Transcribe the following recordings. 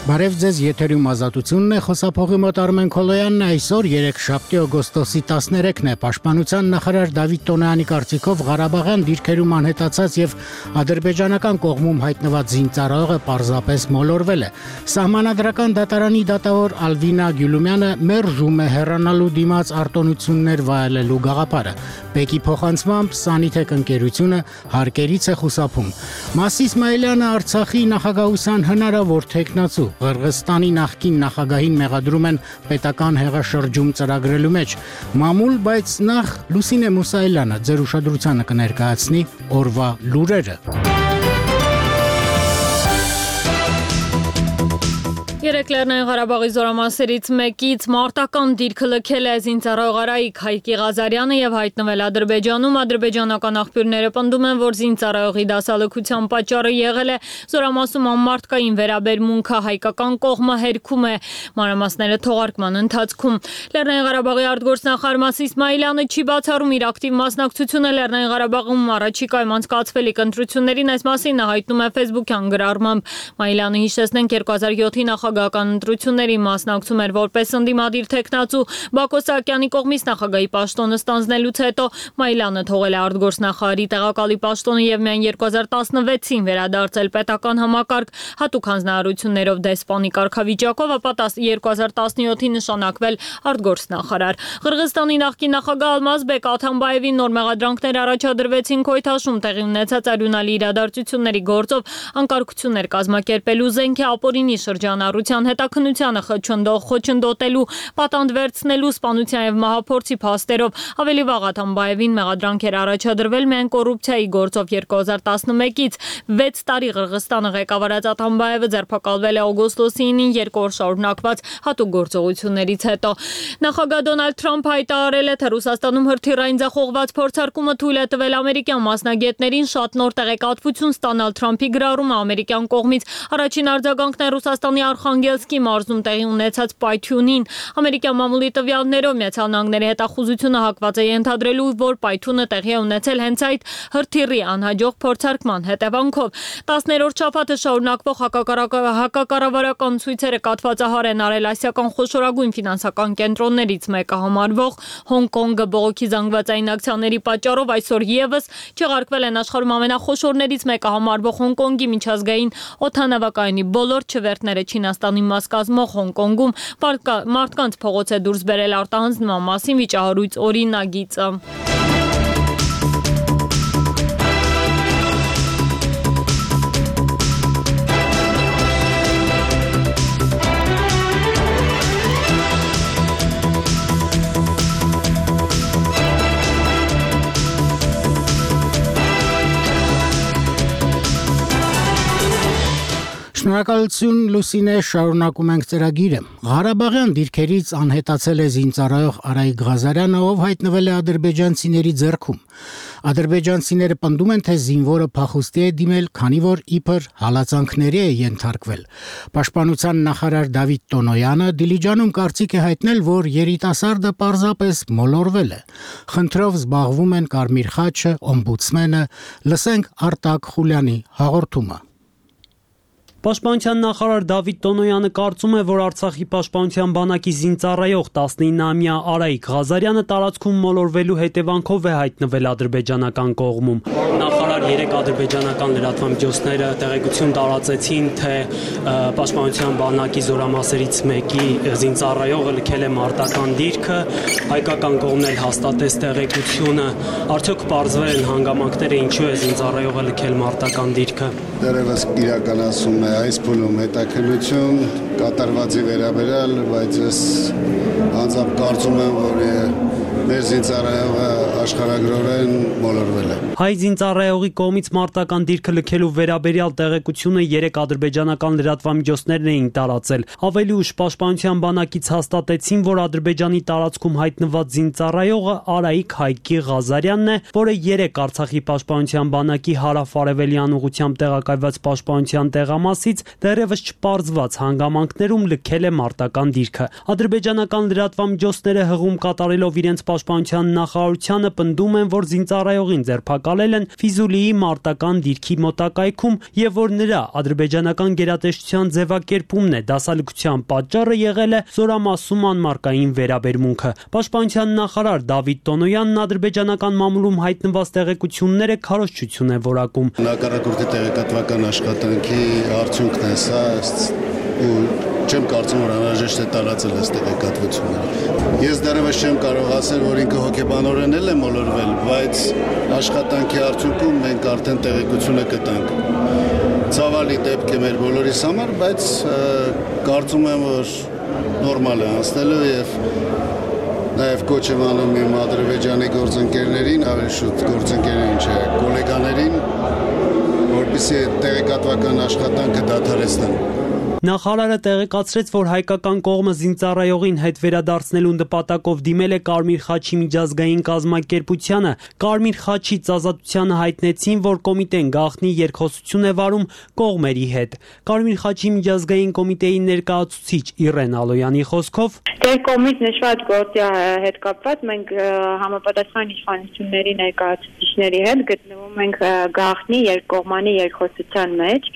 Բարև ձեզ, եթերում ազատությունն է, խոսափողի մոտ Արմեն Քոլոյանն է, այսօր 3 օգոստոսի 13-ն է, Պաշտպանության նախարար Դավիթ Տոնոյանի կարծիքով Ղարաբաղյան դիրքերում անհետացած եւ ադրբեջանական կողմում հայտնված զինծառայողը պարզապես մոլորվել է։ Սահմանադրական դատարանի դատավոր Ալվինա Գյուլումյանը մերժում է հեռանալու դիմաց արտոնություններ վայելելու գաղափարը։ Բեկի փոխանցմամբ Սանիթեք ընկերությունը հարկերից է խուսափում։ Մաս Իսմայելյանը Արցախի նախագահության հնարավոր թեկնածու Ղրղստանի նախկին նախագահին մեղադրում են պետական հեղաշրջում ծրագրելու մեջ։ Մամուլ, բայց նախ Լուսինե Մուսայելյանը ձեր ուշադրությանը կներկայացնի օրվա լուրերը։ Երեկ Լեռնային Ղարաբաղի զորամասերից մեկից մարտական դիրքը լքել է զինծառայող Արայիկ Հայկի Ղազարյանը եւ հայտնվել Ադրբեջանում։ Ադրբեջանական աղբյուրները պնդում են, որ զինծառայողի դասալքության պատճառը եղել է զորամասում անմարտկային վերաբերմունքը, հայկական կողմը հերքում է մանրամասները թողարկման ընթացքում։ Լեռնային Ղարաբաղի արտգործնախարար Մաս Իսմայելյանը չի բացառում իր ակտիվ մասնակցությունը Լեռնային Ղարաբաղում առաջիկայում անցկացվելիք ընտրություններին, այս մասին նա հայտնում է Facebook-յան գրառմամբ։ Մայլյանը հիշեցնենք 2007-ի նախագահական ընտրությունների մասնակցում էր որպես ընդդիմադիր թեկնածու Բակո Սահակյանի կողմից նախագահի պաշտոնը ստանձնելուց հետո Մայլյանը թողել է արտգործնախարարի տեղակալի պաշտոնը եւ միայն 2016-ին վերադարձել պետական համակարգ հատուկ հանձնարարություններով դեսպանի կարգավիճակով, ապա 2017-ին նշանակվել արտգործնախարար։ Ղրղստանի նախկին նախագահ Ալմազբեկ Աթամբաևին նոր մեղադրանքներ առաջադրվեցին Քոյթաշում տեղի ունեցած արյունալի իրադարձությունների գործով անկարգություններ կազմակերպելու զենք է ապօրինի շրջանառության հետաքննությանը խոչընդոտելու, պատանդ վերցնելու, սպանության եւ մահափորձի փաստերով։ Ավելի վաղ Աթամբաևին մեղադրանք էր առաջադրվել միայն կոռուպցիայի գործով 2011-ից 6 տարի Ղրղստանը ղեկավարած Աթամբաևը ձերբակալվել է օգոստոսի 9-ին 2 օր շարունակված հատուկ գործողություններից հետո։ Նախագահ Դոնալդ Թրամփը հայտարարել է, թե Ռուսաստանում հրթիռային ձախողված փորձարկումը թույլ է տվել ամերիկյան մասնագետներին շատ նոր տեղեկատվություն ստանալ։ Թրամփի գրառումը ամերիկյան կողմից առաջին արձագանքն է Ռուսաստանի Արխանգելսկի մարզում տեղի ունեցած պայթյունին։ Ամերիկյան մամուլի տվյալներով Միացյալ Նահանգների հետախուզությունը հակված է ենթադրելու, որ պայթյունը տեղի է ունեցել հենց այդ հրթիռի անհաջող փորձարկման հետևանքով։ 10-րդ շաբաթը շարունակվող հակակառավարական ցույցերը կաթվածահար են արել ասիական խոշորագույն ֆինանսական կենտրոններից մեկը համարվող Հոնկոնգը բողոքի զանգվածային ակցիաների պատճառով այսօր եւս չեղարկվել են աշխարհում ամենախոշորներից մեկը համարվող Հոնկոնգի միջազգային օդանավակայանի բոլոր չվերթները Չինաստանի մաս կազմող Հոնկոնգում մարդկանց փողոց է դուրս բերել արտահանձնման մասին վիճահարույց օրինագիծը։ Շնորհակալություն Լուսինե, շարունակում ենք ծրագիրը։ Ղարաբաղյան դիրքերից անհետացել է զինծառայող Արայիկ Ղազարյանը, ով հայտնվել է ադրբեջանցիների ձեռքում։ Ադրբեջանցիները պնդում են, թե զինվորը փախուստի է դիմել, քանի որ իբր հալածանքների է ենթարկվել։ Պաշտպանության նախարար Դավիթ Տոնոյանը Դիլիջանում կարծիք է հայտնել, որ երիտասարդը պարզապես մոլորվել է։ Խնդրով զբաղվում են Կարմիր խաչը, օմբուդսմենը, լսենք Արտակ Խուլյանի հաղորդումը։ Պաշտպանության նախարար Դավիթ Տոնոյանը կարծում է, որ Արցախի պաշտպանության բանակի զինծառայող 19-ամյա Արայիկ Ղազարյանը տարածքում մոլորվելու հետևանքով է հայտնվել ադրբեջանական կողմում։ Նախարար 3 ադրբեջանական լրատվամիջոցները տեղեկություն տարածեցին, թե պաշտպանության բանակի զորամասերից մեկի զինծառայողը լքել է մարտական դիրքը, հայկական կողմն էլ հաստատեց տեղեկությունը։ Արդյոք պարզվել են հանգամանքները, ինչու է զինծառայողը լքել մարտական դիրքը։ Դեռևս իրականացում է այս փուլում հետաքննություն կատարվածի վերաբերյալ, բայց ես անձամբ կարծում եմ, որ մեր զինծառայողը աշխարհագրորեն մոլորվել է։ Հայ զինծառայողի կողմից մարտական դիրքը լքելու վերաբերյալ տեղեկությունը 3 ադրբեջանական լրատվամիջոցներն էին տարածել։ Ավելի ուշ պաշտպանության բանակից հաստատեցին, որ Ադրբեջանի տարածքում հայտնված զինծառայողը Արայիկ Հայկի Ղազարյանն է, որը 3 Արցախի պաշտպանության բանակի հարավ-արևելյան ուղղությամբ տեղակայված պաշտպանության տեղամասից դեռևս չպարզված հանգամանքներում լքել է մարտական դիրքը։ Ադրբեջանական լրատվամիջոցները հղում կատարելով իրենց պաշտպանության նախարարությանը պնդում են, որ զինծառայողին ձերբակալել են Ֆիզուլիի մարտական դիրքի մոտակայքում եւ որ նրա ադրբեջանական գերատեսչության ձևակերպումն է դասալքության պատճառը եղել է զորամասում անմարկային վերաբերմունքը։ Պաշտպանության նախարար Դավիթ Տոնոյանն ադրբեջանական մամուլում հայտնված տեղեկությունները քարոզչություն է որակում։ Հակառակորդի տեղեկատվական աշխատանքի արդյունքն է սա ու չեմ կարծում, որ անհրաժեշտ է տարածել այս տեղեկատվությունները։ Ես դեռևս չեմ կարող ասել, որ ինքը հոգեբանորեն էլ է մոլորվել, բայց աշխատանքի արդյունքում մենք արդեն տեղեկությունը կտանք։ Ցավալի դեպք է մեր բոլորիս համար, բայց կարծում եմ, որ նորմալ է անցնելու եւ նաև կոչ եմ անում իմ Ադրբեջանի գործընկերներին, ավելի շուտ գործընկերներին չէ, գոլեգաներին, որպեսզի տեղեկատվական աշխատանքը դադարեցնեն։ Նախարարը տեղեկացրեց, որ հայկական կողմը զինծառայողին հետ վերադարձնելու նպատակով դիմել է Կարմիր խաչի միջազգային կազմակերպությանը։ Կարմիր խաչից ազատությանը հայտնեցին, որ կոմիտեն գաղտնի երկխոսություն է վարում կողմերի հետ։ Կարմիր խաչի միջազգային կոմիտեի ներկայացուցիչ Իրեն Ալոյանի խոսքով Դեր կողմից նշված գործի հետ կապված մենք համապատասխան իշխանությունների ներկայացուցիչների հետ գտնվում ենք գաղտնի երկկողմանի երկխոսության մեջ։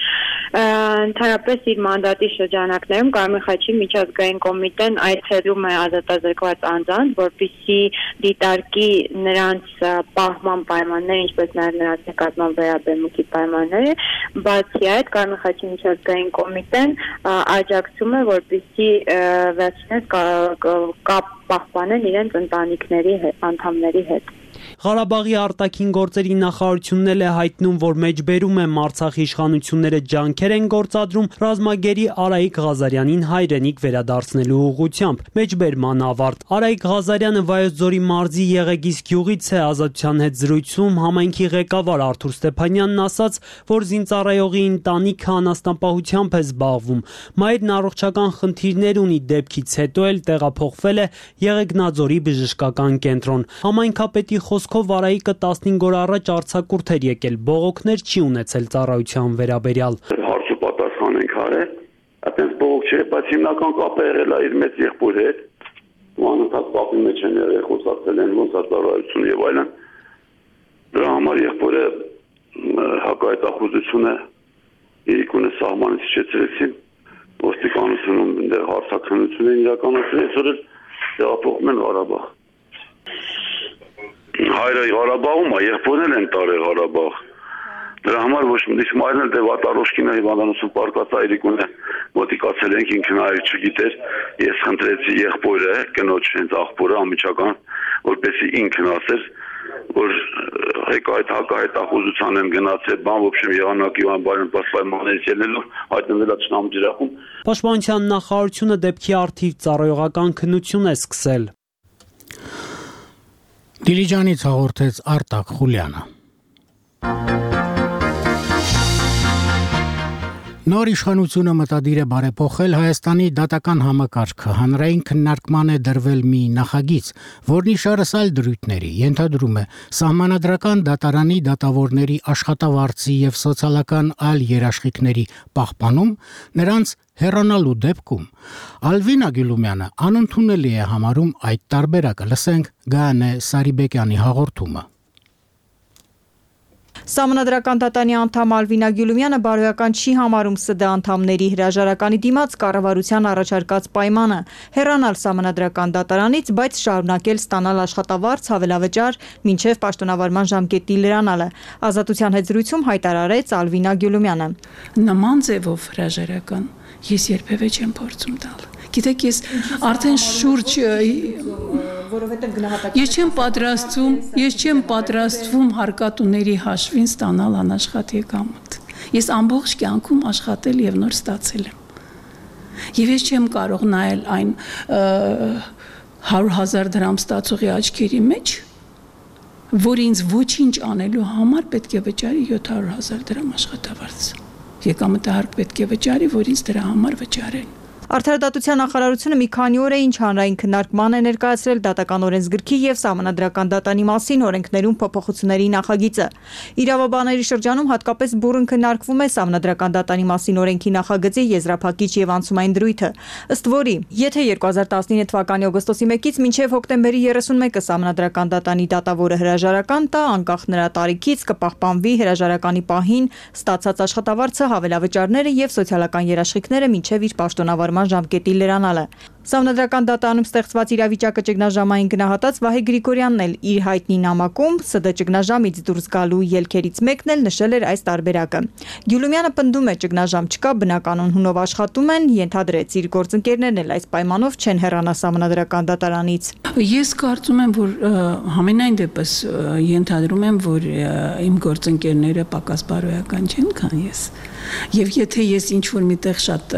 Ընդհանրապես իր մանդատի շրջանակներում Կարմիր խաչի միջազգային կոմիտեն այցելում է ազատազրկված անձանց, որպեսզի դիտարկի նրանց պահման պայմանները, ինչպես նաև նրանց նկատմամբ վերաբերմունքի պայմանները, բացի այդ Կարմիր խաչի միջազգային կոմիտեն աջակցում է, որպեսզի վերջինս կապ պահպանեն իրենց ընտանիքների անդամների հետ։ Ղարաբաղի արտաքին գործերի նախարարությունն էլ է հայտնում, որ մեջբերում է Արցախի իշխանությունները ջանքեր են գործադրում ռազմագերի Արայիկ Ղազարյանին հայրենիք վերադարձնելու ուղղությամբ։ Մեջբերման ավարտ։ Արայիկ Ղազարյանը Վայոց ձորի մարզի Եղեգիս գյուղից է ազատության հետ զրույցում համայնքի ղեկավար Արթուր Ստեփանյանն ասաց, որ զինծառայողի ընտանիքը անասնապահությամբ է զբաղվում։ Մայրն առողջական խնդիրներ ունի, դեպքից հետո էլ տեղափոխվել է Եղեգնաձորի բժշկական կենտրոն։ Համայնքապետի խոսքով Արայիկը 15 օր առաջ արձակուրդ էր եկել, բողոքներ չի ունեցել ծառայության վերաբերյալ։ Հարց ու պատասխան ենք արել, այդպես բողոք չէ, բայց հիմնական կապը եղել է իր մեծ եղբորի հետ, անընդհատ կապի մեջ են եղել, խոսացել են ոնց ծառայություն եւ այլն։ Դրա համար եղբորը հակահայտախուզությունը իրիկունը սահմանից իջեցրեցին, ոստիկանությունում դեռ հարցաքննություն են իրականացրել, այսօր էլ տեղափոխում են Ղարաբաղ։ Հայրը Ղարաբաղում է, եղբորն են տարել Ղարաբաղ։ Դրա համար ոչ միշտ մայրն էլ դեպատարոշկինը հիվանդանոցում պարկած այրիկուն է մոտիկացել ենք ինքն այր չգիտեր, ես խնդրեցի եղբորը, կնոջ հենց աղբորը ամիջական, որպեսզի ինքն ասեր, որ հակահայտախուզության են գնացել, բան в общем եղանակի բան պայմաններից ելնելով հայտնվել է ճշնամու ջրախում։ Պաշտպանության նախարարությունը դեպքի առթիվ ծառայողական քննություն է սկսել։ Դիլիջանից հաղորդեց Արտակ Խուլյանը։ Նոր իշխանությունը մտադիր է բարեփոխել Հայաստանի դատական համակարգը։ Հանրային քննարկման է դրվել մի նախագիծ, որն իշարս այլ դրույթների ենթադրում է սահմանադրական դատարանի դատավորների աշխատավարձի եւ սոցիալական այլ երաշխիքների պահպանում, նրանց հեռանալու դեպքում Ալվինա Գյուլումյանը անընդունելի է համարում այդ տարբերակը։ Լսենք Գայանե Սարիբեկյանի հաղորդումը։ Սահմանադրական դատարանի անդամ Ալվինա Գյուլումյանը բարոյական չի համարում ՍԴ անդամների հրաժարականի դիմաց կառավարության առաջարկած պայմանը հեռանալ սահմանադրական դատարանից, բայց շարունակել ստանալ աշխատավարձ հավելավճար մինչև պաշտոնավարման ժամկետի լրանալը։ Ազատության հետ զրույցում հայտարարեց Ալվինա Գյուլումյանը։ Նման ձևով հրաժարական ես երբևէ չեմ փորձում տալ։ Գիտեք, ես արդեն շուրջ որովհետև գնահատականը ես չեմ պատրաստվում հարկատուների հաշվին ստանալ անաշխատ եկամուտ։ Ես ամբողջ կյանքում աշխատել եւ նոր ստացել եմ։ Եվ ես չեմ կարող նայել այն 100,000 դրամ ստացողի աչքերի մեջ, որ ինձ ոչինչ անելու համար պետք է վճարի 700,000 դրամ աշխատավարձ։ Եկամտահարկ պետք է վճարի, որ ինձ դրա համար վճարեն։ Արդարադատության նախարարությունը մի քանի օր է ինչ հանրային քննարկման է ներկայացրել դատական օրենսգրքի եւ Սահմանադրական դատանի մասին օրենքներում փոփոխությունների նախագիծը։ Իրավաբանների շրջանում հատկապես բուռն քննարկվում է Սահմանադրական դատանի մասին օրենքի նախագծի եզրափակիչ եւ անցումային դրույթը, ըստ որի, եթե 2019 թվականի օգոստոսի 1-ից մինչև հոկտեմբերի 31-ը Սահմանադրական դատանի դատավորը հրաժարական տա, անկախ նրա տարիքից կպահպանվի հրաժարականի պահին ստացած աշխատավարձը, հավելավճարները եւ սոցիալական երաշխիքները մինչև իր պաշտոնավարման ժամկետի լրանալը։ Սահմանադրական դատանում ստեղծված իրավիճակը ճգնաժամային գնահատած Վահե Գրիգորյանն էլ իր հայտնի նամակում ՍԴ ճգնաժամից դուրս գալու ելքերից մեկն էլ նշել էր այս տարբերակը։ Գյուլումյանը պնդում է ճգնաժամ չկա, բնականon հունով աշխատում են, ենթադրեց իր գործընկերներն էլ այս պայմանով չեն հեռանա Սահմանադրական դատարանից։ Ես կարծում եմ, որ համենայն դեպս ենթադրում եմ, որ իմ գործընկերները պակաս բարոյական չեն, քան ես։ Եվ եթե ես ինչ-որ միտեղ շատ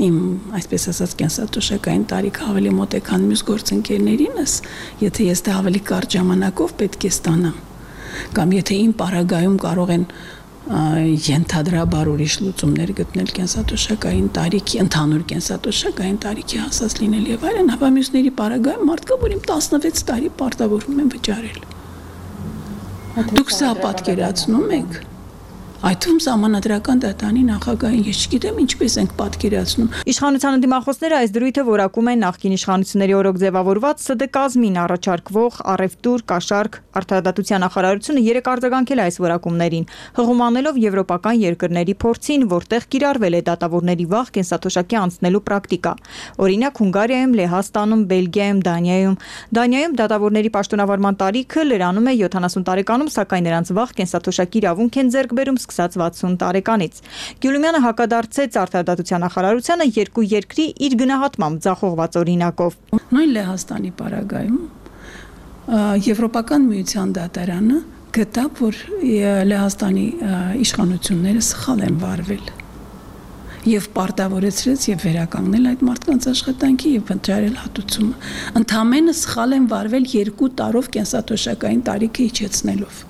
իմ, այսպես ասած, կենսաթոշակային տարիքը ավելի մոտ է, քան մյուս գործընկերներինս, եթե ես դա ավելի կարճ ժամանակով պետք է ստանամ, կամ եթե իմ պարագայում կարող են ենթադրաբար ուրիշ լուծումներ գտնել կենսաթոշակային տարիքի, ընդհանուր կենսաթոշակային տարիքի հասած լինել եւ այլն, ապա մյուսների պարագայում մարդկա, որ իմ 16 տարի պարտավորվում են վճարել։ Դուք սա պատկերացնում եք։ Այդ ում Սահմանադրական դատանի նախագահին ես չգիտեմ ինչպես ենք պատկերացնում։ Իշխանության ընդդիմախոսները այս դրույթը որակում են նախկին իշխանությունների օրոք ձևավորված ՍԴ կազմին առաջարկվող առևտուր, կաշառք, արդարադատության նախարարությունը 3 արձագանքել է այս որակումներին, հղումանելով եվրոպական երկրների փորձին, որտեղ կիրառվել է դատավորների վաղ կենսաթոշակի անցնելու պրակտիկա։ Օրինակ Հունգարիայում, Լեհաստանում, Բելգիայում, Դանիայում դատավորների պաշտոնավարման տարիքը լրանում է 70 տարեկանում, սակայն նրանց վաղ կենսաթոշակի իրավունք են ձեռք բերում սկսած 60 տարեկանից։ Գյուլումյանը հակադարձեց արդարադատության նախարարությանը երկու երկրի իր գնահատմամբ ձախողված օրինակով։ Նույն Լեհաստանի պարագայում Եվրոպական միության դատարանը գտավ, որ Լեհաստանի իշխանությունները սխալ են վարվել եւ պարտավորեցրեց եւ վերականգնել այդ մարդկանց աշխատանքի եւ վճարել հատուցումը։ Ընդամենը սխալ են վարվել 2 տարով կենսաթոշակային տարիքը իջեցնելով։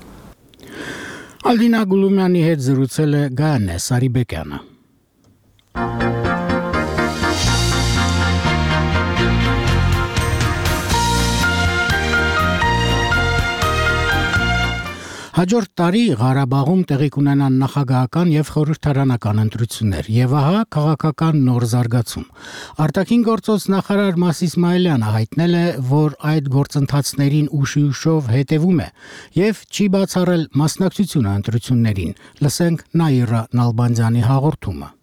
Ալինա Գուլումյանի հետ զրուցել է Գայանե Սարիբեկյանը։ Հաջորդ տարի Ղարաբաղում տեղի կունենան նախագահական եւ խորհրդարանական ընտրություններ եւ ահա քաղաքական նոր զարգացում։ Արտաքին գործոց նախարար Մաս Իսմայելյանը հայտնել է, որ այդ գործընթացներին ուշիուշով հետևում է եւ չի բացառել մասնակցությունը ընտրություններին։ Լսենք Նաիրա Նալբանդյանի հաղորդումը։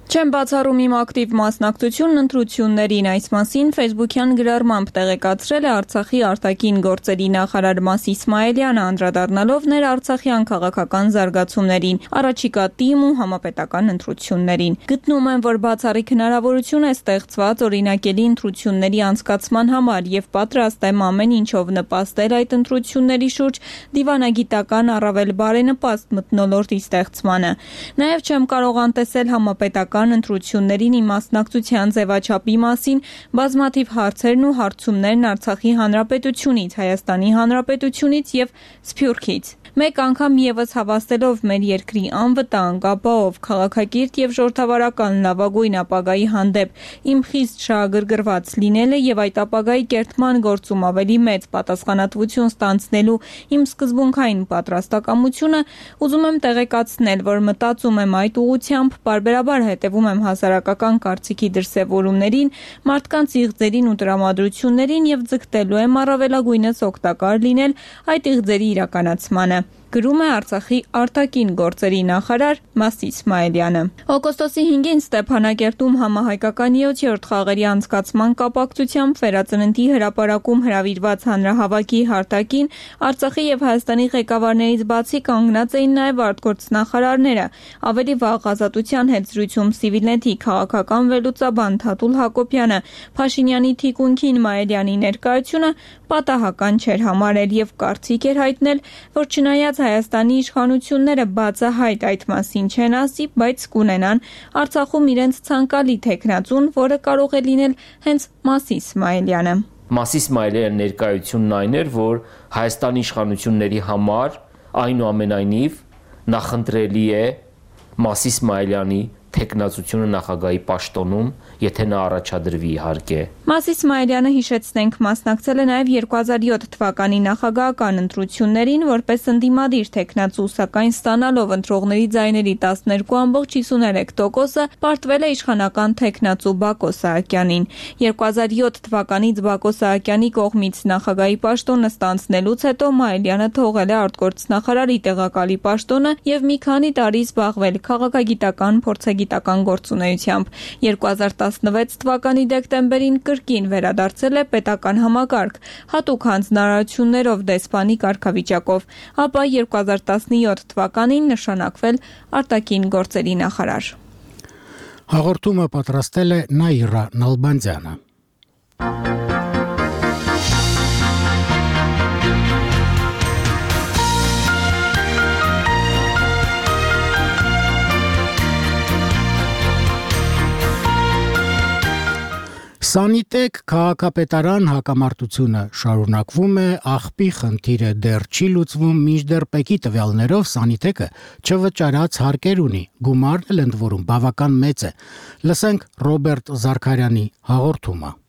Չեմ բացառում իմ ակտիվ մասնակցությունն ընտրություններին, այս մասին Facebook-յան գրառմամբ տեղեկացրել է Արցախի արտաքին գործերի նախարար Մաս Իսմայելյանը, անդրադառնալով ներարցախյան քաղաքական զարգացումներին, առաջիկա ՏԻՄ ու համապետական ընտրություններին։ Գտնում եմ, որ բացառիկ հնարավորություն է ստեղծված օրինակելի ընտրությունների անցկացման համար եւ պատրաստ եմ ամեն ինչով նպաստել այդ ընտրությունների շուրջ դիվանագիտական առավել բարենպաստ մթնոլորտի ստեղծմանը։ Նաեւ չեմ կարող անտեսել համապետական ընտրություններին իմ մասնակցության ձևաչափի մասին բազմաթիվ հարցերն ու հարցումներն Արցախի Հանրապետությունից, Հայաստանի Հանրապետությունից եւ Սփյուռքից։ Մեկ անգամ եւս հավաստելով մեր երկրի անվտանգ, ապահով, քաղաքակիրթ եւ ժողովրդավարական լավագույն ապագայի հանդեպ իմ խիստ շահագրգռված լինելը եւ այդ ապագայի կերտման գործում ավելի մեծ պատասխանատվություն ստանձնելու իմ սկզբունքային պատրաստակամությունը, ուզում եմ տեղեկացնել, որ մտածում եմ այդ ուղղությամբ, պարբերաբար հետևում եմ հասարակական կարծիքի դրսևորումներին, մարդկանց իղձերին ու տրամադրություններին եւ ձգտելու եմ առավելագույնս օգտակար լինել այդ իղձերի իրականացմանը։ Գրում է Արցախի արտաքին գործերի նախարար Մաս Իսմայելյանը։ Օգոստոսի 5-ին Ստեփանակերտում համահայկական 7-րդ խաղերի անցկացման կապակցությամբ Վերածննդի հրապարակում հրավիրված հանրահավաքի հարթակին Արցախի եւ Հայաստանի ղեկավարներից բացի կանգնած էին նաեւ արտգործնախարարները։ Ավելի վաղ Ազատության հետ զրույցում Civilnet-ի քաղաքական վերլուծաբան Թաթուլ Հակոբյանը Փաշինյանի թիկունքին Մայելյանի ներկայությունը պատահական չէր համարել եւ կարծիք էր հայտնել, որ չնայած Հայաստանի իշխանությունները բացահայտ այդ մասին չեն ասի, բայց կունենան Արցախում իրենց ցանկալի թեկնածուն, որը կարող է լինել հենց Մաս Իսմայելյանը։ Մաս Իսմայելյանի ներկայությունն այն էր, որ Հայաստանի իշխանությունների համար այնուամենայնիվ նախընտրելի է Մաս Իսմայելյանի թեկնածությունը նախագահի պաշտոնում, եթե նա առաջադրվի իհարկե։ Մաս Իսմայելյանը հիշեցնենք մասնակցել է նաև 2007 թվականի նախագահական ընտրություններին որպես ընդդիմադիր թեկնածու, սակայն ստանալով ընտրողների ձայների 12.53%-ը պարտվել է իշխանական թեկնածու Բակո Սահակյանին։ 2007 թվականից Բակո Սահակյանի կողմից նախագահի պաշտոնը ստանձնելուց հետո Մայիլյանը թողել է արտգործնախարարի տեղակալի պաշտոնը եւ մի քանի տարի զբաղվել քաղաքագիտական փորձագիտական գործունեությամբ։ 2016 թվականի դեկտեմբերին կրկին վերադարձել է պետական համակարգ, հատուկ հանձնարարություններով դեսպանի կարգավիճակով, ապա 2017 թվականին նշանակվել արտաքին գործերի նախարար։ Հաղորդումը պատրաստել է Նաիրա Նալբանդյանը։ Սանիտեկ քաղաքապետարան հակամարտությունը շարունակվում է, աղբի խնդիրը դեռ չի լուծվում, մինչդեռ ՊԵԿ-ի տվյալներով Սանիտեկը չվճարած հարկեր ունի, գումարն էլ ընդ որում բավական մեծ է։ Լսենք Ռոբերտ Զարքարյանի հաղորդումը։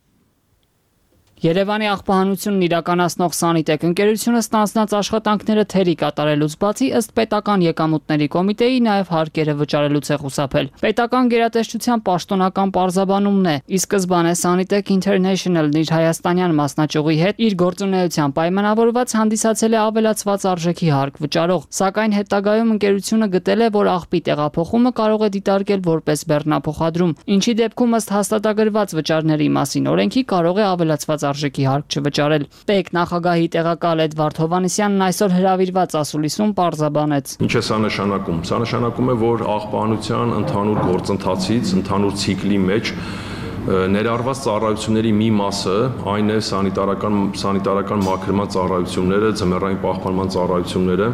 Երևանի աղբահանությունն իրականացնող Սանիտեկ ընկերությունը ստանձնած աշխատանքները թերի կատարելուց բացի ըստ պետական եկամուտների կոմիտեի նաև հարկերը վճարելուց է խուսափել։ Պետական գերատեսչության պաշտոնական պարզաբանումն է։ Ի սկզբանե Sanitek International-ն իր հայաստանյան մասնաճյուղի հետ իր գործունեության պայմանավորված հանդիսացել է ավելացված արժեքի հարկ վճարող, սակայն հետագայում ընկերությունը գտել է, որ աղբի տեղափոխումը կարող է դիտարկել որպես բեռնափոխադրում, ինչի դեպքում ըստ հաստատագրված վճարների մասին օրենքի կարող է ավելացված արժեքի հարկ չվճարել։ ՊԵԿ նախագահի տեղակալ Էդվարդ Հովհաննիսյանն այսօր հրավիրված ասուլիսում պարզաբանեց։ Ինչ է սա նշանակում։ Սա նշանակում է, որ աղբահանության ընդհանուր գործընթացից, ընդհանուր ցիկլի մեջ ներառված ծառայությունների մի մասը, այն է սանիտարական մաքրման ծառայությունները, ձմեռային պահպանման ծառայությունները,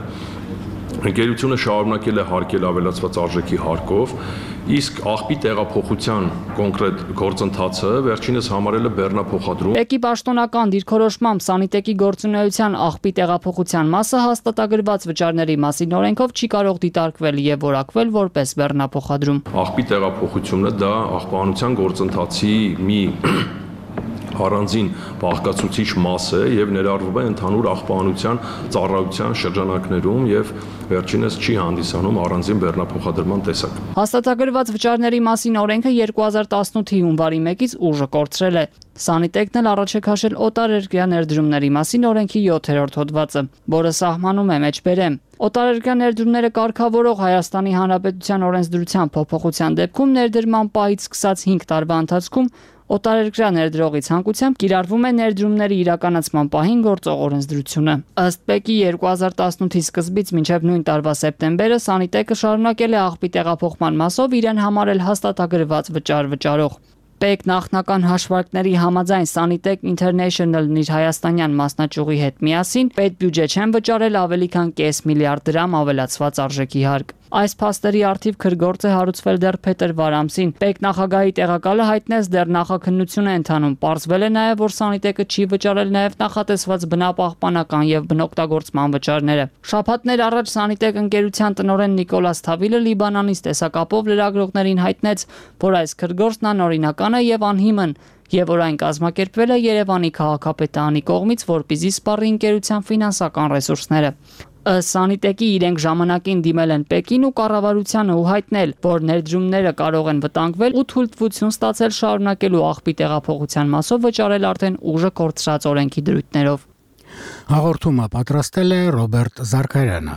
ընկերությունը շարունակել է հարկել ավելացված արժեքի հարկով, իսկ աղբի տեղափոխության կոնկրետ գործընթացը վերջինս համարել է բեռնափոխադրում։ ՊԵԿ-ի պաշտոնական դիրքորոշմամբ Սանիտեկի գործունեության աղբի տեղափոխության մասը հաստատագրված վճարների մասին օրենքով չի կարող դիտարկվել եւ որակվել որպես բեռնափոխադրում։ Աղբի տեղափոխությունը դա աղբահանության գործընթացի մի առանձին բաղկացուցիչ մաս է եւ ներառվում է ընդհանուր աղբահանության ծառայության շրջանակներում եւ վերջինս չի հանդիսանում առանձին բեռնափոխադրման տեսակ։ Հաստատագրված վճարների մասին օրենքը 2018-ի հունվարի 1-ից ուժը կորցրել է։ Սանիտեկն էլ առաջ է քաշել օտարերկրյա ներդրումների մասին օրենքի 7-րդ հոդվածը, որը սահմանում է մեջբերեմ։ Օտարերկրյա ներդրումները կարգավորող Հայաստանի Հանրապետության օրենսդրության փոփոխության դեպքում ներդրման պահից սկսած 5 տարվա ընթացքում օտարերկրյա ներդրողի ցանկությամբ կիրառվում է ներդրումների իրականացման պահին գործող օրենսդրությունը։ Ըստ ՊԵԿ-ի 2018-ի սկզբից մինչև նույն տարվա սեպտեմբերը Սանիտեկը շարունակել է աղբի տեղափոխման մասով իրեն համարել հաստատագրված վճար վճարող։ ՊԵԿ նախնական հաշվարկների համաձայն Sanitek International-ն իր հայաստանյան մասնաճյուղի հետ միասին պետբյուջե չեն վճարել ավելի քան 0.5 միլիարդ դրամ ավելացված արժեքի հարկ։ Այս փաստերի առթիվ քրգործ է հարուցվել դեռ փետրվար ամսին։ ՊԵԿ նախագահի տեղակալը հայտնեց դեռ նախաքննություն է ընթանում։ Պարզվել է նաև, որ Սանիտեկը չի վճարել նաև նախատեսված բնապահպանական եւ բնօգտագործման վճարները։ Շաբաթներ առաջ Սանիտեք ընկերության տնօրեն Նիկոլաս Թավիլը Լիբանանից տեսակապով լրագրողներին հայտնեց, որ այս քրգործն անօրինական է եւ անհիմն, եւ որ այն կազմակերպվել է Երևանի քաղաքապետարանի կողմից, որպեսզի սպառի ընկերության ֆինանսական ռեսուրսները։ Սանիտեկի իրենք ժամանակին դիմել են ՊԵԿ-ին ու կառավարությանը ու հայտնել, որ ներդրումները կարող են վտանգվել ու թույլտվություն ստացել շարունակելու աղբի տեղափոխության մասով վճարել արդեն ուժը կորցրած օրենքի դրույթներով։ Հաղորդումը պատրաստել է Ռոբերտ Զարքարյանը։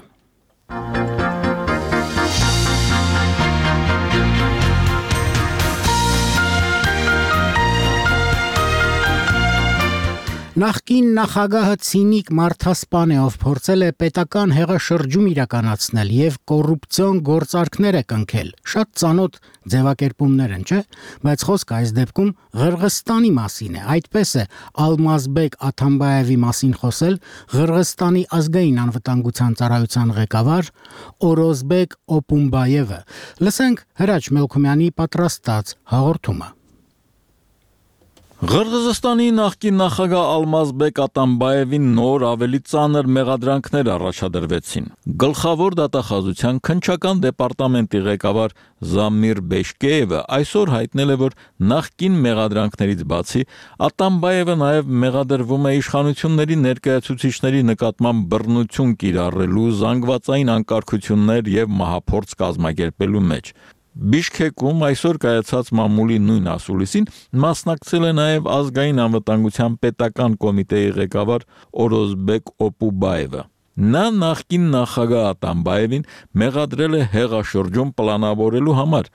Նախկին նախագահը ցինիկ մարդասպան է, ով փորձել է պետական հեղաշրջում իրականացնել եւ կոռուպցիոն գործարքներ է կնքել։ Շատ ծանոթ ձևակերպումներ են, չէ՞, բայց խոսքը այս դեպքում Ղրղստանի մասին է։ Այդպես է Ալմազբեկ Աթամբաևի մասին խոսել Ղրղստանի ազգային անվտանգության ծառայության ղեկավար Օրոզբեկ Օպումբաևը։ Լսենք Հրաչ Մելքումյանի պատրաստած հաղորդումը։ Ղրղզստանի նախկին նախագահ Ալմազբեկ Ատամբաևին նոր ավելի ծանր մեղադրանքներ առաջադրվեցին։ Գլխավոր դատախազության քննչական դեպարտամենտի ղեկավար Զամիր Բեշկեևը այսօր հայտնել է, որ նախկին մեղադրանքներից բացի Ատամբաևը նաև մեղադրվում է իշխանությունների ներկայացուցիչների նկատմամբ բռնություն կիրառելու, զանգվածային անկարգություններ եւ մահափորձ կազմակերպելու մեջ։ Բիշքեկում այսօր կայացած մամուլի նույն ասուլիսին մասնակցել է նաև ազգային անվտանգության պետական կոմիտեի ղեկավար Օրոզբեկ Օպուբաևը։ Նա նախկին նախագահ Ատամբաևին մեղադրել է հեղաշրջում պլանավորելու համար։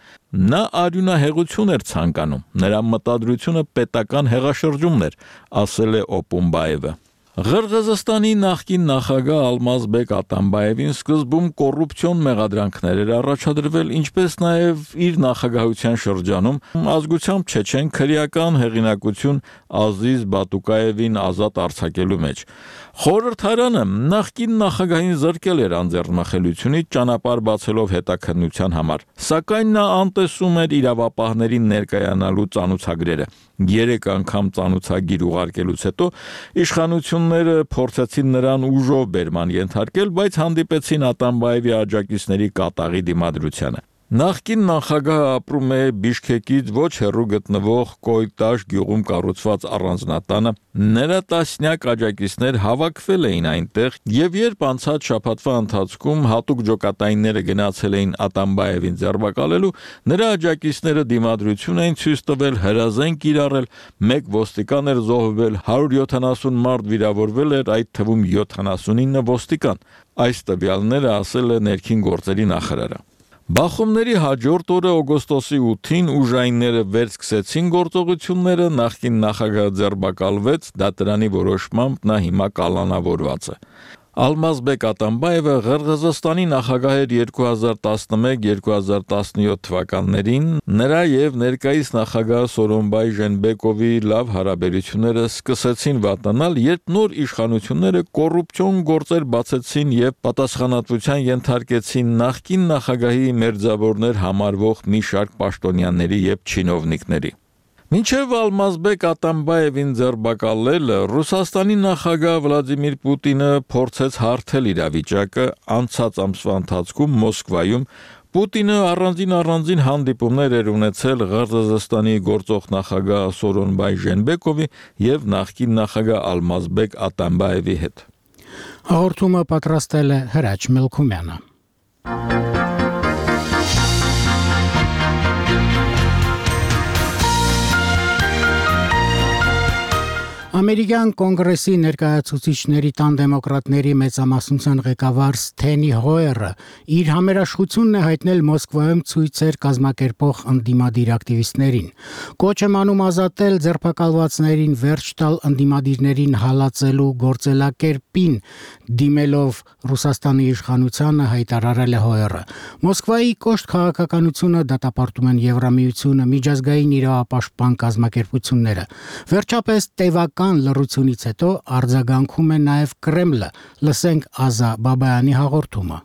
Նա արյունահեղություն էր ցանկանում։ Նրա մտադրությունը պետական հեղաշրջումն էր, ասել է Օպուբաևը։ Ղրղզստանի նախկին նախագահ Ալմազբեկ Ատամբաևին սկզբում կոռուպցիոն մեղադրանքներ էր առաջադրվել, ինչպես նաև իր նախագահության շրջանում ազգությամբ չեչեն քրեական հեղինակություն Ազիզ Բատուկաևին ազատ արձակելու մեջ։ Խորհրդարանը նախկին նախագահին զրկել էր անձեռնմխելիությունից ճանապարհ բացելով հետաքննության համար, սակայն նա անտեսում էր իրավապահներին ներկայանալու ծանուցագրերը։ 3 անգամ ծանուցագիր ուղարկելուց հետո իշխանությունները փորձեցին նրան ուժով բերման ենթարկել, բայց հանդիպեցին Ատամբաևի աջակիցների կատաղի դիմադրությանը։ Նախկին նախագահը ապրում է Բիշքեկից ոչ հեռու գտնվող Կոյտաշ գյուղում կառուցված առանձնատանը։ Նրա տասնյակ աջակիցներ հավաքվել էին այնտեղ, եւ երբ անցած շաբաթվա ընթացքում հատուկ ջոկատայինները գնացել էին Ատամբաևին ձերբակալելու, նրա աջակիցները դիմադրություն էին ցույց տվել, հրազեն կիրառել, 1 ոստիկան էր զոհվել, 170 մարդ վիրավորվել էր, այդ թվում 79 ոստիկան։ Այս տվյալները ասել է ներքին գործերի նախարարը։ Բախումների հաջորդ օրը օգոստոսի 8-ին ուժայինները վերսկսեցին գործողությունները, նախկին նախագահը ձերբակալվեց, դատարանի որոշմամբ նա հիմա կալանավորված է։ Ալմազբեկ Ատամբաևը Ղրղզստանի նախագահ էր 2011-2017 թվականներին, նրա եւ ներկայիս նախագահ Սորոնբայ Ժենբեկովի լավ հարաբերությունները սկսեցին վատանալ, երբ նոր իշխանությունները կոռուպցիոն գործեր բացեցին եւ պատասխանատվության ենթարկեցին նախկին նախագահի մերձավորներ համարվող մի շարք պաշտոնյաների եւ չինովնիկների։ Մինչև Ալմազբեկ Ատամբաևին ձերբակալելը Ռուսաստանի նախագահ Վլադիմիր Պուտինը փորձեց հարթել իրավիճակը անցած ամսվա ընթացքում Մոսկվայում Պուտինը առանձին հանդիպումներ էր ունեցել Ղրղզստանի գործող նախագահ Սորոնբայ Ժենբեկովի եւ նախկին նախագահ Ալմազբեկ Ատամբաևի հետ։ Հաղորդումը պատրաստել է Հրաչ Մելքումյանը։ Ամերիկյան կոնգրեսի ներկայացուցիչների տան դեմոկրատների մեծամասնության ղեկավար Սթենի Հոյերը իր համերաշխությունն է հայտնել Մոսկվայում ցույցեր կազմակերպող ընդդիմադիր ակտիվիստներին։ Կոչ է անում ազատել ձերբակալվածներին, վերջ տալ ընդդիմադիրներին հալածելու գործելակերպին, դիմելով Ռուսաստանի իշխանությանը, հայտարարել է Հոյերը։ Մոսկվայի կոշտ քաղաքականությունը դատապարտում են Եվրամիությունը, միջազգային իրավապաշտպան կազմակերպությունները։ Վերջապես տևական լռությունից հետո արձագանքում է նաև Կրեմլը։ Լսենք Ազա Բաբայանի հաղորդումը։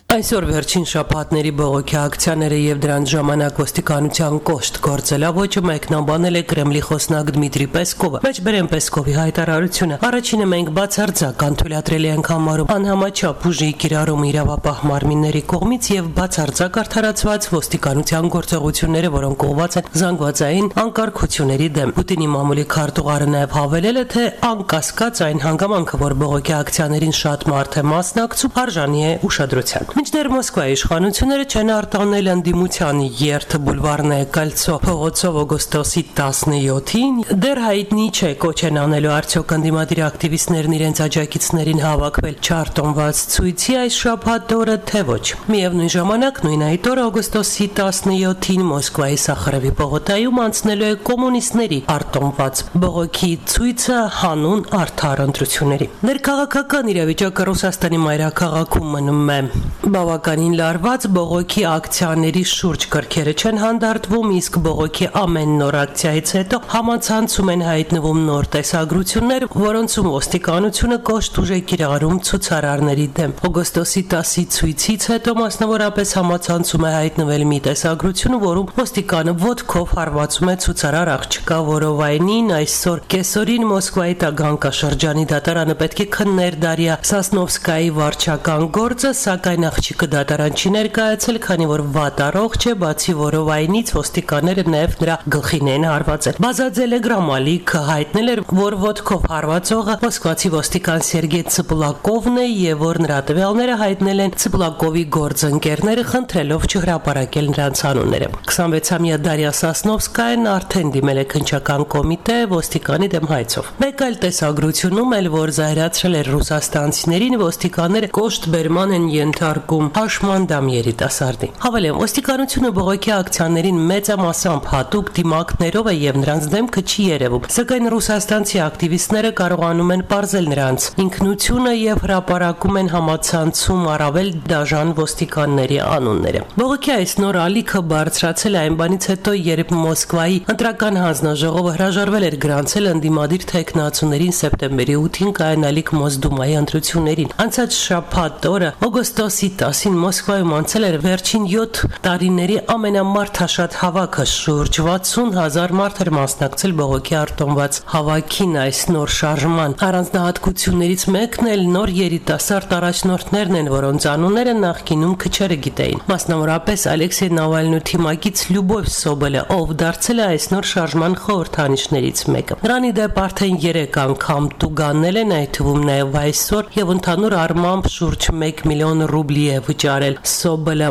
Այսօր վերջին շաբաթների բողոքի ակցիաները եւ դրանց ժամանակ ոստիկանության կոշտ գործելավոճը մեկնաբանել է Կրեմլի խոսնակ Դմիտրի Պեսկովը։ Մեջբերեն Պեսկովի հայտարարությունը առաջինը մենք բացարձակ անթույլատրելի ենք համարում անհամաչափ ուժի կիրառում իրավապահ մարմինների կողմից եւ բացարձակ արդարացված ոստիկանության գործողությունները, որոնք ուղղված են զանգվածային անկարգությունների դեմ։ Պուտինի մամուլի քարտուղարը նաեւ հավելել է, թե անկասկած այն հանգամանքը, որ բողոքի ակցիաներին շատ մարդ է մասնակցում, արժանի է ուշադրության։ Մինչդեռ Մոսկվայի իշխանությունները չեն արտանել ընդդիմության երթը բուլվարնե Կալցո փողոցով օգոստոսի 17-ին, դեռ հայտնի չէ կոչ են անելու արդյոք ընդդիմադիր ակտիվիստներն իրենց աջակիցներին հավաքվել չարտոնված ցույցի այս շաբաթ օրը, թե ոչ։ Միևնույն ժամանակ նույն այդ օրը օգոստոսի 17-ին Մոսկվայի Սախարովի պողոտայում անցնելու է կոմունիստների արտոնված բողոքի ցույցը հանուն արդար ընտրությունների։ Ներքաղաքական իրավիճակը Ռուսաստանի մայրաքաղաքում մնում է Բավականին լարված բողոքի ակցիաների շուրջ կրքերը չեն հանդարտվում, իսկ բողոքի ամեն նոր ակցիայից հետո համացանցում են հայտնվում նոր տեսագրություններ, որոնցում ոստիկանությունը կոշտ ուժ է կիրառում ցուցարարների դեմ։ Օգոստոսի 10-ի ցույցից հետո մասնավորապես համացանցում է հայտնվել մի տեսագրություն, որում ոստիկանը ոտքով հարվածում է ցուցարար աղջկա Որովայնին, այսօր կեսօրին Մոսկվայի Տագանկաշրջանի դատարանը պետք է քններ Դարիա Սասնովսկայի վարչական գործը, սակայն աղջիկը դատարան չի ներկայացել, քանի որ վատ առողջ է, բացի Որովայնից ոստիկանները նաև նրա գլխին են հարվածել։ Բազաձելը գրամալիքը հայտնել էր, որ ոտքով հարվածողը մոսկվացի ոստիկան Սերգեյ Ցպլակովն է եւ որ նրա տվյալները հայտնել են Ցպլակովի գործընկերները, խնդրելով չհրապարակել նրանց անունները։ 26-ամյա Դարիա Սասնովսկայան արդեն դիմել է քննչական կոմիտե ոստիկանի դեմ հայցով։ Մեկ այլ տեսագրությունում էլ, որ զայրացրել էր ռուսաստանցիներին, ոստիկանները կոշտ բերման են ենթարկում հաշմանդամ երիտասարդի։ Հավելեմ, ոստիկանությունը բողոքի ակցիաներին մեծամասամբ հատուկ դիմակներով է եւ նրանց դեմքը չի երևում, սակայն ռուսաստանցի ակտիվիստները կարողանում են պարզել նրանց ինքնությունը եւ հրապարակում են համացանցում առավել դաժան ոստիկանների անունները։ Բողոքի այս նոր ալիքը բարձրացել է այն բանից հետո, երբ Մոսկվայի ընտրական հանձնաժողովը հրաժարվել էր գրանցել ընդդիմադիր թեկնածուներին սեպտեմբերի 8-ին կայանալիք Մոսդումայի ընտրություններին։ Անցած շաբաթ օրը օգոստոսի 10-ին Մոսկվայում անցել էր վերջին 7 տարիների ամենամարդաշատ հավաքը, շուրջ 60,000 մարդ էր մասնակցել բողոքի արտոնված հավաքին։ Այս նոր շարժման առանձնահատկություններից մեկն էլ նոր երիտասարդ առաջնորդներն են, որոնց անունները նախկինում քչերը գիտեին։ Մասնավորապես Ալեքսեյ Նավալնու թիմակից Լյուբով Սոբելը, ով դարձել է այս նոր շարժման խորհրդանիշներից մեկը։ Նրան ի դեպ արդեն 3 անգամ տուգանել են, այդ թվում նաև այսօր, եւ ընդհանուր առմամբ շուրջ 1 միլիոն ռուբլի է վճարել Սոբելը։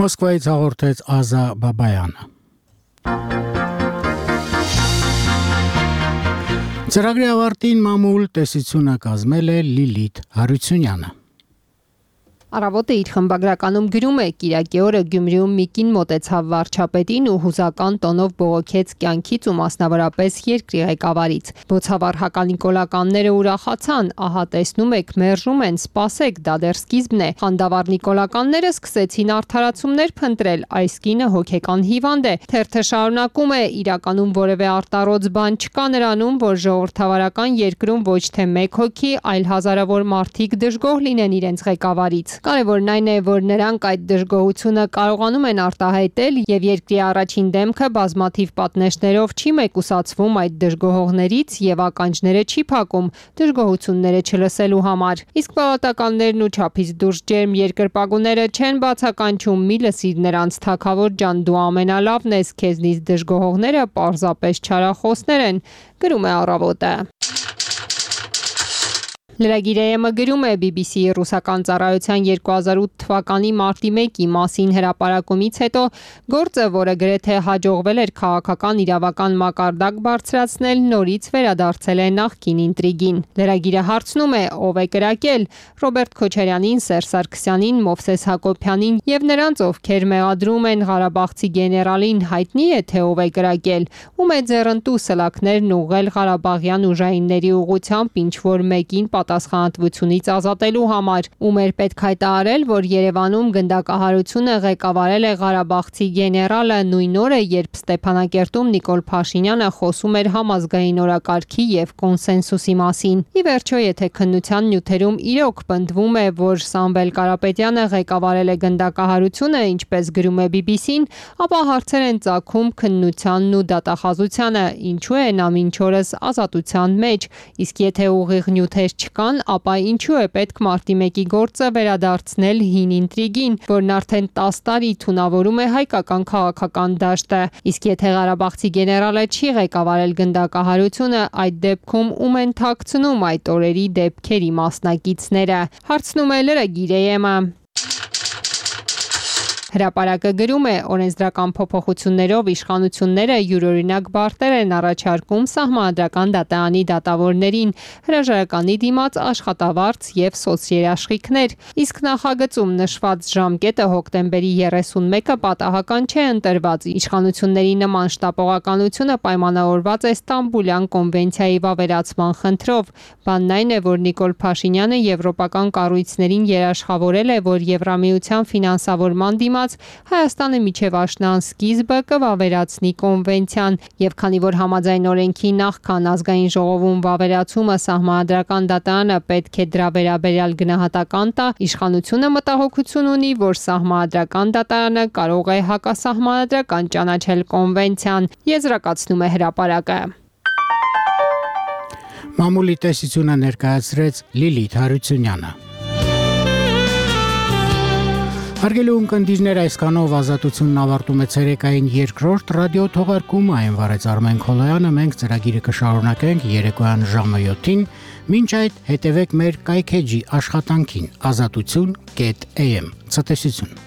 Մոսկվայից հաղորդեց Ազա Բաբայանը։ Ծրագրի ավարտին մամուլ տեսությունը կազմել է Լիլիթ Հարությունյանը։ Առավոտը իր խմբագրականում գրում է. Կիրակի օրը Գյումրիում մի կին մոտեցավ վարչապետին ու հուզական տոնով բողոքեց կյանքից ու մասնավորապես երկրի ղեկավարից։ Բոցավառ հականիկոլականները ուրախացան, ահա տեսնում եք, մերժում են, սպասեք, դա դեռ սկիզբն է։ Խանդավառ նիկոլականները սկսեցին արդարացումներ փնտրել, այս կինը հոգեկան հիվանդ է։ Թերթը շարունակում է, իրականում որևէ արտառոց բան չկա նրանում, որ ժողովրդավարական երկրում ոչ թե մեկ հոգի, այլ հազարավոր մարդիկ դժգոհ լինեն իրենց ղեկավարից։ Կարևորն այն է, որ նրանք այդ դժգոհությունը կարողանում են արտահայտել եւ երկրի առաջին դեմքը բազմաթիվ պատնեշներով չի մեկուսացվում այդ դժգոհողներից եւ ականջները չի փակում դժգոհությունները չլսելու համար։ Իսկ պալատականներն ու չափից դուրս ջերմ երկրպագուները չեն բացականչում՝ մի լսիր նրանց թագավոր ջան, դու ամենալավն ես, քեզնից դժգոհողները պարզապես չարախոսներ են, գրում է Առավոտը։ Լրագիր-ը գրում է BBC-ի ռուսական ծառայության 2008 թվականի մարտի 1-ի մասին հրապարակումից հետո գործը, որը գրեթե հաջողվել էր քաղաքական իրավական մակարդակ բարձրացնել, նորից վերադարձել է նախկին ինտրիգին։ Լրագիրը հարցնում է, ով է կրակել Ռոբերտ Քոչարյանին, Սերժ Սարգսյանին, Մովսես Հակոբյանին եւ նրանց, ովքեր մեղադրում են Ղարաբաղցի գեներալին, հայտնի է թե ով է կրակել, ում է ձեռնտու սլաքներն ուղղել Ղարաբաղյան ուժայինների ուղղությամբ ինչ-որ մեկին պատասխանատվությունից ազատելու համար, ում էր պետք հայտարարել, որ Երևանում գնդակահարությունը ղեկավարել է Ղարաբաղցի գեներալը նույն օրը, երբ Ստեփանակերտում Նիկոլ Փաշինյանը խոսում էր համազգային օրակարգի եւ կոնսենսուսի մասին։ Ի վերջո, եթե քննության նյութերում իրոք պնդվում է, որ Սամվել Կարապետյանը ղեկավարել է գնդակահարությունը, ինչպես գրում է BBC-ն, ապա հարցեր են ծագում քննությանն ու դատախազությանը, ինչու է նա մինչ օրս ազատության մեջ, իսկ եթե ուղիղ նյութեր չկան, ապա ինչու է պետք մարտի 1-ի գործը վերադարձնել հին ինտրիգին, որն արդեն 10 տարի թունավորում է հայկական քաղաքական դաշտը։ Իսկ եթե Ղարաբաղցի գեներալը չի ղեկավարել գնդակահարությունը, այդ դեպքում ում են թաքցնում այդ օրերի դեպքերի մասնակիցները։ Հարցնում է լրագիր-ը։ Հրապարակը գրում է, օրենսդրական փոփոխություններով իշխանությունները յուրօրինակ բարդեր են առաջարկում Սահմանադրական դատարանի դատավորներին, հրաժարականի դիմաց աշխատավարձ եւ սոցերաշխիքներ, իսկ նախագծում նշված ժամկետը հոկտեմբերի 31-ը պատահական չէ ընտրված։ Իշխանությունների նման շտապողականությունը պայմանավորված է Ստամբուլյան կոնվենցիայի վավերացման խնդրով։ Բանն այն է, որ Նիկոլ Փաշինյանը եվրոպական կառույցներին երաշխավորել է, որ Եվրամիության ֆինանսավորման դիմաց Հայաստանը միջև աշնան սկիզբը կվավերացնի կոնվենցիան, եւ քանի որ համաձայն օրենքի նախքան ազգային ժողովում վավերացումը Սահմանադրական դատարանը պետք է դրա վերաբերյալ գնահատական տա, իշխանությունը մտահոգություն ունի, որ Սահմանադրական դատարանը կարող է հակասահմանադրական ճանաչել կոնվենցիան, եզրակացնում է հրապարակը։ Մամուլի տեսությունը ներկայացրեց Լիլիթ Հարությունյանը։ Հարգելի ունկնդիրներ, այսքանով Ազատությունն ավարտում է ցերեկային երկրորդ ռադիո թողարկումը, այն վարեց Արմեն Քոլոյանը, մենք ծրագիրը կշարունակենք երեկոյան ժամը 7-ին, մինչ այդ հետևեք մեր կայքեջի աշխատանքին azatutun.am։ Ցտեսություն։